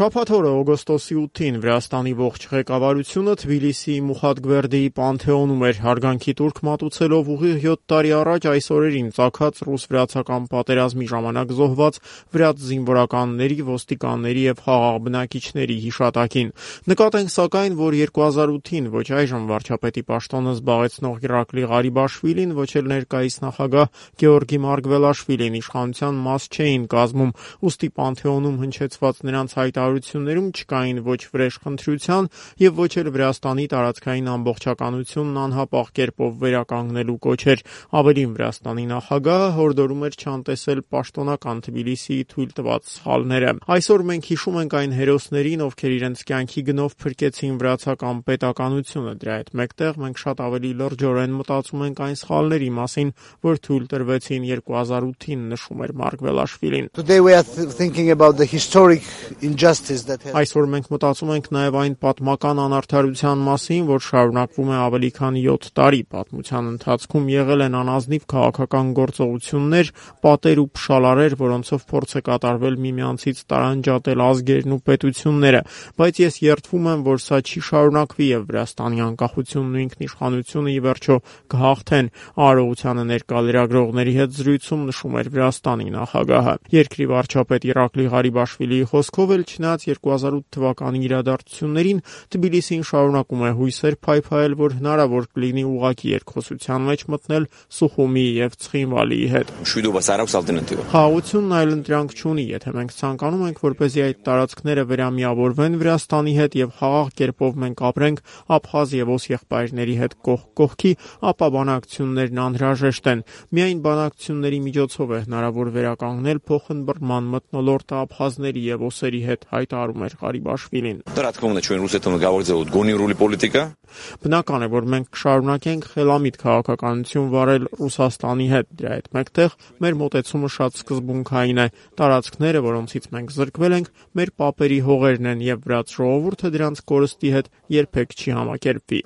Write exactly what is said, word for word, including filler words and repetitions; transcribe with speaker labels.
Speaker 1: Շաբաթ օրը օգոստոսի ութին Վրաստանի ողջ ղեկավարությունը Թբիլիսիի Մուխաթ-Գվերդիի Պանթեոնում էր հարգանքի տուրք մատուցելով ուղիղ յոթ տարի առաջ այս օրերին ծագած ռուս-վրացական պատերազմի ժամանակ զոհված վրաց զինվորականների, ոստիկանների եւ խաղաղ բնակիչների հիշատակին։ Նկատենք սակայն, որ երկու հազար ութին ոչ այժմ վարչապետի պաշտոնը զբաղեցնող Իրակլի Ղարիբաշվիլին, ոչ էլ ներկայիս նախագահ Գեորգի Մարգվելաշվիլին իշխանության մաս չէին կազմում, ուստի Պանթեոնում հնչեցված նրանց հայտարարություններում չկային ոչ վրեժխնդրության եւ ոչ էլ Վրաստանի տարածքային ամբողջականությունն անհապաղ կերպով վերականգնելու կոչեր։ Ավելին, Վրաստանի նախագահը հորդորում էր չանտեսել պաշտոնական Թբիլիսիի թույլ տված սխալները։ Այսօր մենք հիշում ենք այն հերոսներին, ովքեր իրենց կյանքի գնով փրկեցին վրացական պետականությունը։ Դրա հետ մեկտեղ մենք շատ ավելի լրջորեն մտածում ենք այն սխալների մասին, որ թույլ տրվեցին երկու հազար ութին, նշում էր Մարգվելաշվիլին։ Այսօր մենք մտածում ենք նաև այն պատմական անարդարության մասին, որ շարունակվում է ավելի քան յոթ տարի։ Պատմության ընթացքում եղել են անազնիվ քաղաքական գործողություններ, պատեր ու փշալարեր, որոնցով փորձ է կատարվել միմյանցից տարանջատել ազգերն ու պետությունները, բայց ես երդվում եմ, որ սա չի շարունակվի եւ Վրաստանի անկախությունն ու ինքնիշխանությունը ի վերջո կհաղթեն։ Արարողությանը ներկա լրագրողների հետ զրույցում նշում էր Վրաստանի նախագահը։ Երկրի վարչապետ Իրակլի Ղարիբաշվիլիի խոսքով էլ չնայած երկու հազար ութ թվականի իրադարձություններին, Թբիլիսին շարունակում է հույսեր փայփայել, որ հնարավոր կլինի ուղղակի երկխոսության մեջ մտնել Սուխումիի եւ Ցխինվալիի հետ։ Խաղաղությունն այլընտրանք չունի, եթե մենք ցանկանում ենք, որպեսզի այդ տարածքները վերամիավորվեն Վրաստանի հետ եւ խաղաղ կերպով մենք ապրենք Աբխազ եւ Օս եղբայրների հետ կողք կողքի, ապա բանակցություններն անհրաժեշտ են։ Միայն բանակցությունների միջոցով է հնարավոր վերականգնել փոխըմբռնման մթնոլորտը աբխազների եւ օսերի հետ, հայտարարում էր Ղարիբաշվիլին։ Բնական է, որ մենք կշարունակենք խելամիտ քաղաքականություն վարել Ռուսաստանի հետ։ Դրա հետ մեկտեղ մեր մոտեցումը շատ սկզբունքային է։ Տարածքները, որոնցից մենք զրկվել ենք, մեր պապերի հողերն են եւ վրաց ժողովուրդը դրանց կորստի հետ երբեք չի համակերպվի։